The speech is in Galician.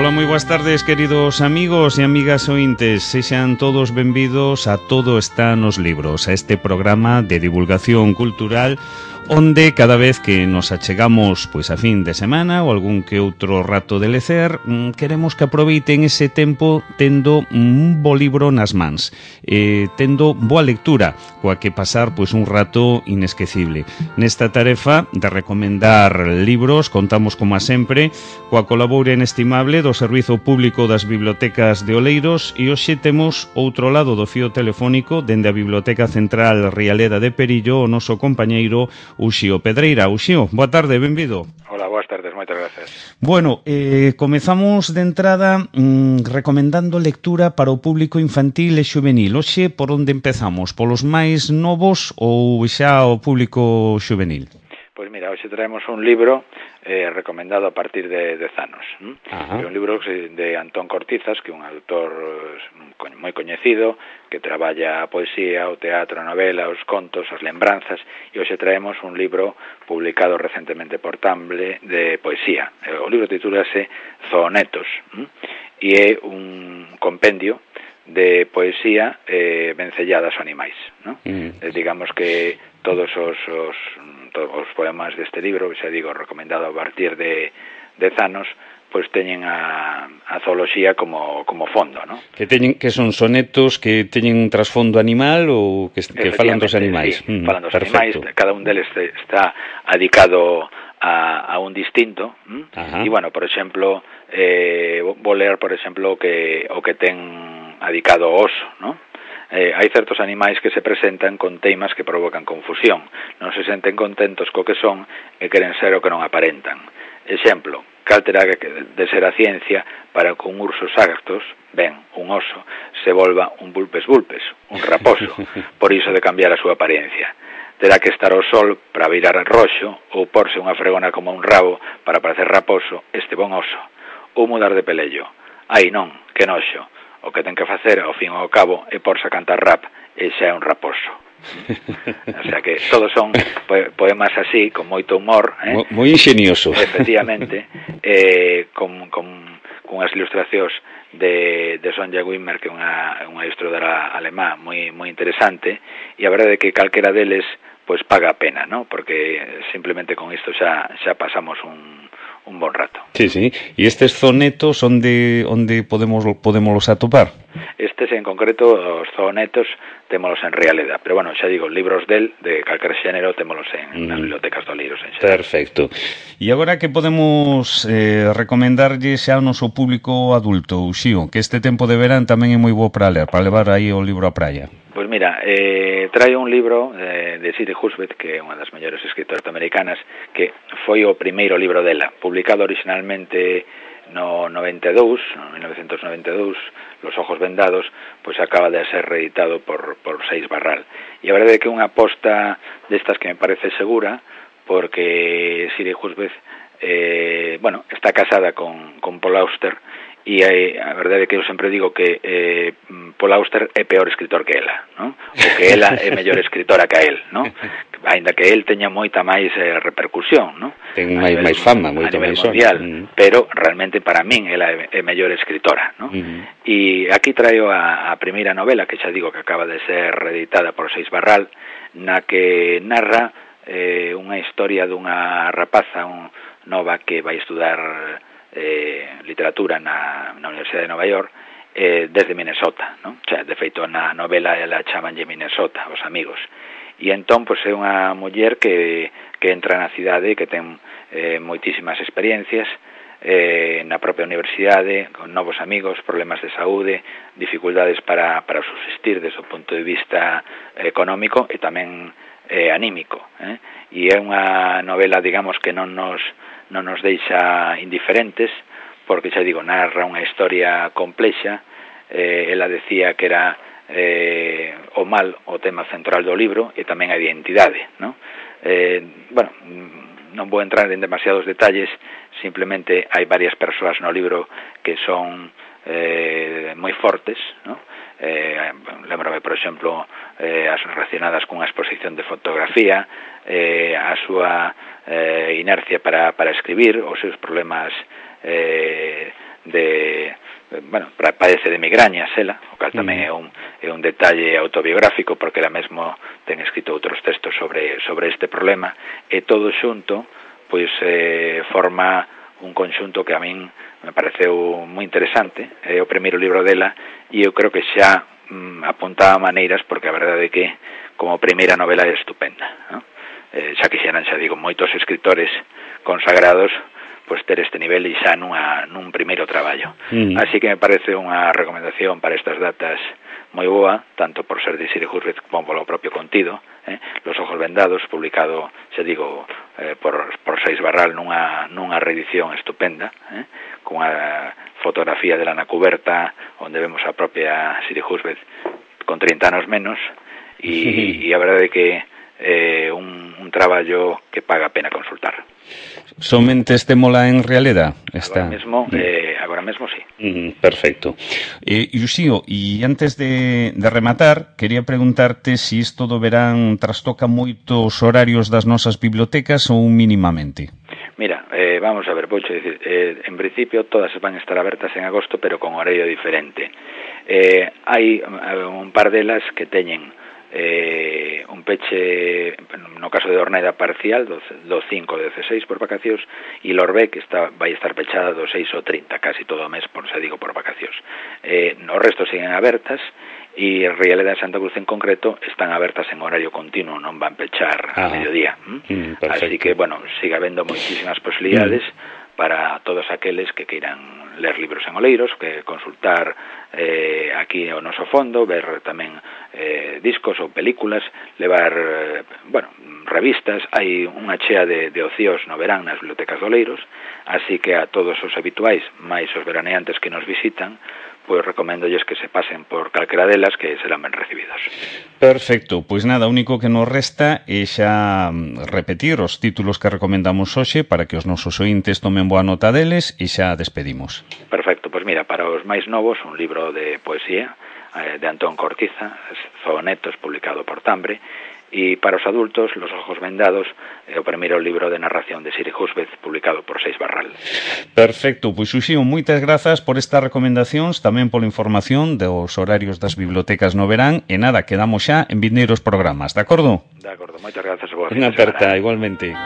Ola, moi boas tardes, queridos amigos e amigas ointes. Sexan todos benvidos a Todo está nos libros, a este programa de divulgación cultural onde cada vez que nos achegamos pois a fin de semana ou algún que outro rato de lecer, queremos que aproveiten ese tempo tendo un bo libro nas mans, tendo boa lectura, coa que pasar pois un rato inesquecible. Nesta tarefa de recomendar libros contamos como a sempre coa colabora inestimable do Servizo Público das Bibliotecas de Oleiros e hoxe temos outro lado do fío telefónico dende a Biblioteca Central Rialeda de Perillo o noso compañeiro Uxío Pedreira. Uxío, boa tarde, benvido. Hola, boas tardes, moitas gracias. Bueno, comezamos de entrada recomendando lectura para o público infantil e xuvenil. Hoxe, por onde empezamos? Polos máis novos ou xa o público xuvenil? Pois mira, hoxe traemos un libro recomendado a partir de 10 anos. É un libro de Antón Cortizas, que é un autor moi coñecido, que traballa a poesía, o teatro, a novela, os contos, as lembranzas, e hoxe traemos un libro publicado recentemente por Tumblr de poesía. O libro titúlase Zoonetos, e é un compendio de poesía vencelladas aos animais, ¿no? Digamos que todos os poemas deste libro, xa digo, recomendado a partir de 10 anos, pois teñen a zooloxía como fondo, ¿no? Que son sonetos que teñen un trasfondo animal ou que falan dos animais? Sí, falan dos animais, cada un deles está adicado a un distinto, e, bueno, por exemplo, vou ler, por exemplo, o que ten adicado ao oso, ¿no? Hai certos animais que se presentan con teimas que provocan confusión, non se senten contentos co que son e queren ser o que non aparentan. Exemplo, cal terá de ser a ciencia para que un urso sagazos, ben, un oso, se volva un vulpes, un raposo, por iso de cambiar a súa apariencia. Terá que estar ao sol para virar roxo ou porse unha fregona como un rabo para parecer raposo este bon oso, ou mudar de pelello. Ai non, que noxo. O que ten que facer, ao fin e ao cabo, é porse a cantar rap e xa é un raposo. O sea que todos son poemas así, con moito humor, moi ingenioso. Efectivamente, con unhas ilustracións de Sonja Wimmer, que é unha ilustradora alemá moi interesante, e a verdade é que calquera deles pois paga a pena, ¿no? Porque simplemente con isto xa pasamos un bon rato. Sí, sí. E estes zonetos onde podemos atopar? Estes en concreto, os zoonetos, témolos en Rialeda, pero bueno, xa digo, libros de calquer xénero témolos en nas bibliotecas do Oleiros en xeral. Perfecto. E agora que podemos recomendarlle xa ao noso público adulto, Uxío, que este tempo de verán tamén é moi bo para ler, para levar aí o libro á praia? Pois mira, traio un libro de Siri Husbeth, que é unha das mellores escritoras americanas, que foi o primeiro libro dela, publicado originalmente no 1992, Los ojos vendados, pois acaba de ser reeditado por Seix Barral. E a verdade é que é unha aposta destas que me parece segura, porque Siri Husbeth, está casada con Paul Auster, e a verdade é que eu sempre digo que Paul Auster é peor escritor que ela, ¿no? O que ela é mellor escritora que a él, ¿no? Ainda que él teña moita máis repercusión, ¿no? Ten máis fama, moito máis mundial, pero realmente para min ela é mellor escritora, ¿no? E aquí traio a primeira novela, que xa digo que acaba de ser reeditada por Seix Barral, na que narra unha historia dunha rapaza nova que vai estudar literatura na Universidade de Nova York desde Minnesota, ¿no? O sea, de feito na novela ela chamanlle Minnesota, os amigos. E entón, pois, é unha muller que entra na cidade, que ten moitísimas experiencias na propia universidade, con novos amigos, problemas de saúde, dificultades para subsistir desde o punto de vista económico e tamén anímico, e é unha novela, digamos, que non nos deixa indiferentes, porque xa digo, narra unha historia complexa. Ela decía que era o mal o tema central do libro e tamén a identidade, ¿no? Non vou entrar en demasiados detalles, simplemente hai varias persoas no libro que son moi fortes, ¿no? Lembrame, por exemplo, as relacionadas cunha exposición de fotografía, a súa inercia para escribir, os seus problemas padece de migrañas ela, o cal tamén é un detalle autobiográfico, porque ela mesmo ten escrito outros textos sobre este problema, e todo xunto pois forma un conxunto que a min me pareceu moi interesante. É o primeiro libro dela e eu creo que xa apuntaba maneiras, porque a verdade é que como primeira novela é estupenda, ¿no? Xa quixeran, xa digo, moitos escritores consagrados pois ter este nivel e xa nun primeiro traballo. Así que me parece unha recomendación para estas datas moi boa, tanto por ser de Siri Husbeth como polo propio contido, Los ojos vendados, publicado, xa digo, por Seix Barral nunha reedición estupenda, con a fotografía dela na cuberta, onde vemos a propia Siri Husbeth con 30 anos menos, e a verdade é que é un traballo que paga a pena consultar. Somente estémola en realidad? Agora mesmo sí. Perfecto. Uxío, e antes de rematar, quería preguntarte se isto do verán trastoca moito os horarios das nosas bibliotecas ou mínimamente. Mira, vamos a ver, vouche dicir, en principio todas van a estar abertas en agosto, pero con horario diferente. Hai un par delas que teñen un peche, no caso de Orneda, parcial do 5 ao 16 por vacacións, e Lorbe, que vai estar pechada do 6 ao 30, casi todo o mes, por vacacións. O resto siguen abertas, e Rialeda de Santa Cruz en concreto están abertas en horario continuo, non van pechar a mediodía. Así que, sigue habendo moitísimas posibilidades para todos aqueles que queiran ler libros en Oleiros, que consultar aquí o noso fondo, ver tamén discos ou películas, levar revistas. Hai unha chea de ocios no verán nas bibliotecas de Oleiros, así que a todos os habituais, máis os veraneantes que nos visitan, pois recoméndolles que se pasen por calquera delas, que serán ben recibidos. Perfecto, pois nada, o único que nos resta é xa repetir os títulos que recomendamos hoxe para que os nosos ointes tomen boa nota deles e xa despedimos. Perfecto, pois mira, para os máis novos, un libro de poesía de Antón Cortiza, Zoonetos, publicado por Tambre, e para os adultos, Los ojos vendados, o primeiro libro de narración de Siri Husbeth, publicado por Seix Barral. Perfecto, pois Uxío, moitas grazas por estas recomendacións, tamén pola información dos horarios das bibliotecas no verán, e nada, quedamos xa en vindeiros programas, de acordo? De acordo, moitas grazas a vos. Unha aperta, igualmente.